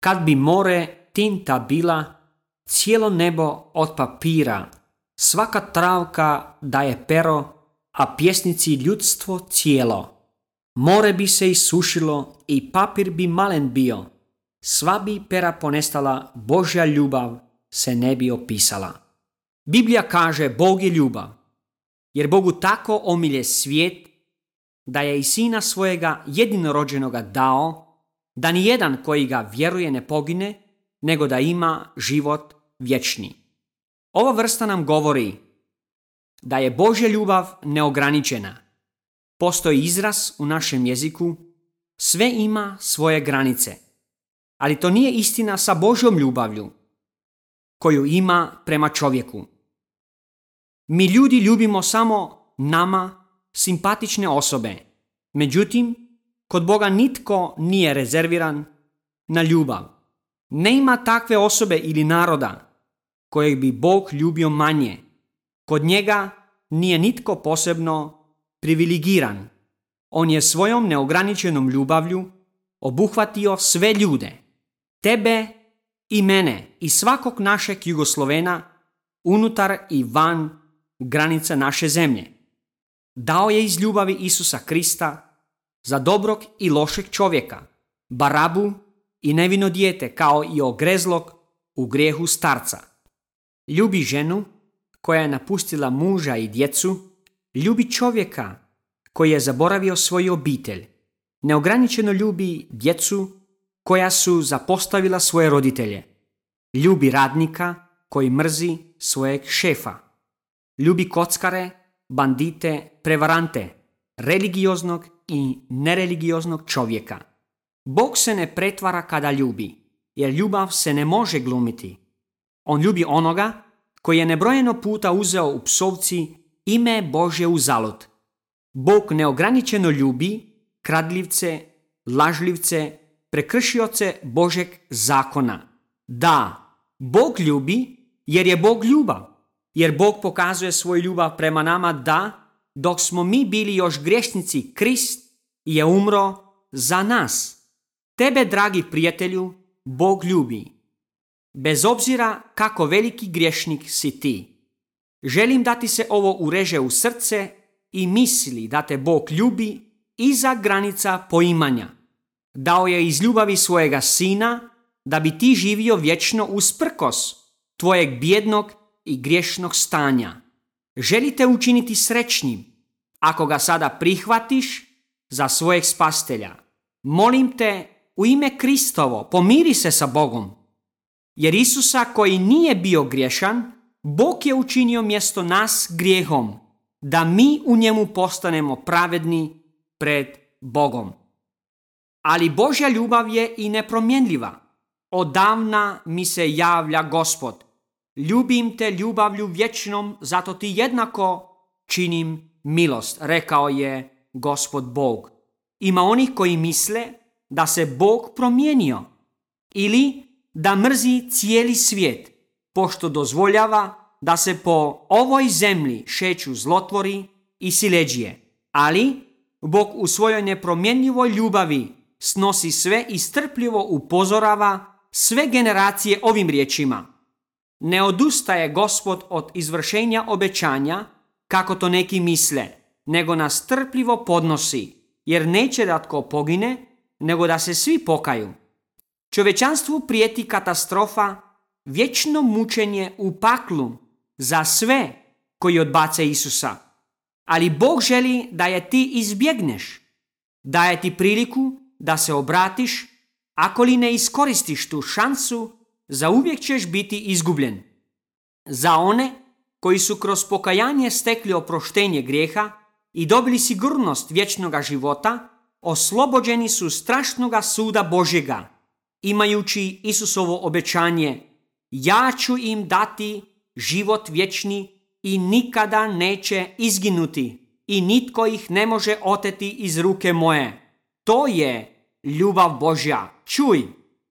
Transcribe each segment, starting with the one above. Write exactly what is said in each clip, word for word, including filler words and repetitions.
Kad bi more tinta bila, cijelo nebo od papira, svaka travka daje pero, a pjesnici ljudstvo cijelo. More bi se isušilo i papir bi malen bio, sva bi pera ponestala, Božja ljubav se ne bi opisala. Biblija kaže Bog je ljubav, jer Bogu tako omilje svijet, da je i sina svojega jedinorođenoga dao, da nijedan koji ga vjeruje ne pogine, nego da ima život vječni. Ova vrsta nam govori da je Božja ljubav neograničena. Postoji izraz u našem jeziku, sve ima svoje granice. Ali to nije istina sa Božjom ljubavlju, koju ima prema čovjeku. Mi ljudi ljubimo samo nama simpatične osobe. Međutim, kod Boga nitko nije rezerviran na ljubav. Ne ima takve osobe ili naroda kojeg bi Bog ljubio manje. Kod njega nije nitko posebno privilegiran. On je svojom neograničenom ljubavlju obuhvatio sve ljude, tebe i mene i svakog našeg Jugoslovena unutar i van granica naše zemlje. Dao je iz ljubavi Isusa Krista za dobrog i lošeg čovjeka, barabu i nevino dijete kao i ogrezlog u grijehu starca. Ljubi ženu koja je napustila muža i djecu, ljubi čovjeka koji je zaboravio svoju obitelj. Neograničeno ljubi djecu koja su zapostavila svoje roditelje. Ljubi radnika koji mrzi svojeg šefa. Ljubi kockare, bandite, prevarante, religioznog i nereligioznog čovjeka. Bog se ne pretvara kada ljubi, jer ljubav se ne može glumiti. On ljubi onoga koji je nebrojeno puta uzeo u psovci ime Božje uzalud. Bog neograničeno ljubi kradljivce, lažljivce, prekršioce Božeg zakona. Da, Bog ljubi jer je Bog ljubav. Jer Bog pokazuje svoju ljubav prema nama da, dok smo mi bili još griješnici, Krist je umro za nas. Tebe, dragi prijatelju, Bog ljubi. Bez obzira kako veliki griješnik si ti. Želim da ti se ovo ureže u srce i misli da te Bog ljubi iza granica poimanja. Dao je iz ljubavi svojega sina da bi ti živio vječno usprkos tvojeg bijednog i griješnog stanja. Želite učiniti srećnim ako ga sada prihvatiš za svojeg spastelja. Molim te, u ime Kristovo, pomiri se sa Bogom. Jer Isusa koji nije bio griješan, Bog je učinio mjesto nas grijehom, da mi u njemu postanemo pravedni pred Bogom. Ali Božja ljubav je i nepromjenljiva. Odavna mi se javlja Gospod. Ljubim te ljubavlju vječnom, zato ti jednako činim milost, rekao je Gospod Bog. Ima onih koji misle da se Bog promijenio ili da mrzi cijeli svijet, pošto dozvoljava da se po ovoj zemlji šeću zlotvori i siledžije. Ali Bog u svojoj nepromjenjivoj ljubavi snosi sve i strpljivo upozorava sve generacije ovim riječima. Ne odustaje Gospod od izvršenja obećanja, kako to neki misle, nego nas strpljivo podnosi, jer neće da tko pogine, nego da se svi pokaju. Čovječanstvu prijeti katastrofa, vječno mučenje u paklu za sve koji odbace Isusa. Ali Bog želi da je ti izbjegneš. Daje ti priliku da se obratiš, ako li ne iskoristiš tu šansu, zauvijek ćeš biti izgubljen. Za one koji su kroz pokajanje stekli oproštenje grijeha i dobili sigurnost vječnoga života, oslobođeni su strašnoga suda Božjega, imajući Isusovo obećanje: ja ću im dati život vječni i nikada neće izginuti i nitko ih ne može oteti iz ruke moje. To je ljubav Božja. Čuj,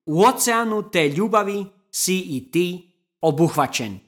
u oceanu te ljubavi si i ti obuhvaćen.